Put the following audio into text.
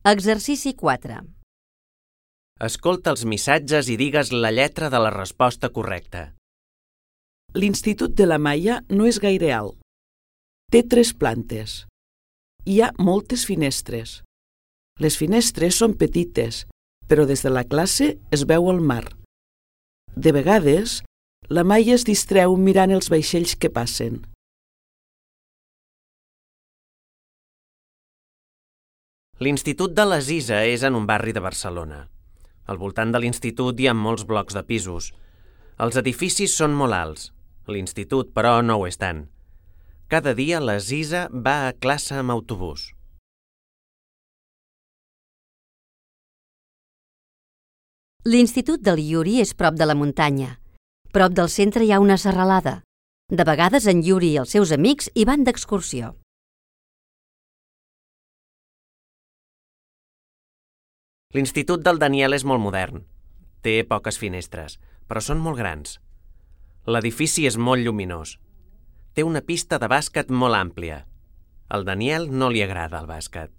Exercici 4. Escolta els missatges i digues la lletra de la resposta correcta. L'Institut de la Maia no és gaire alt. Té 3 plantes. Hi ha moltes finestres. Les finestres són petites, però des de la classe es veu el mar. De vegades, la Maia es distreu mirant els vaixells que passen. L'Institut de l'Aziza és en un barri de Barcelona. Al voltant de l'institut hi ha molts blocs de pisos. Els edificis són molt alts. L'institut, però, no ho és tant. Cada dia l'Aziza va a classe amb autobús. L'Institut del Yuri és prop de la muntanya. Prop del centre hi ha una serralada. De vegades en Yuri i els seus amics hi van d'excursió. L'Institut del Daniel és molt modern. Té poques finestres, però són molt grans. L'edifici és molt lluminós. Té una pista de bàsquet molt àmplia. Al Daniel no li agrada el bàsquet.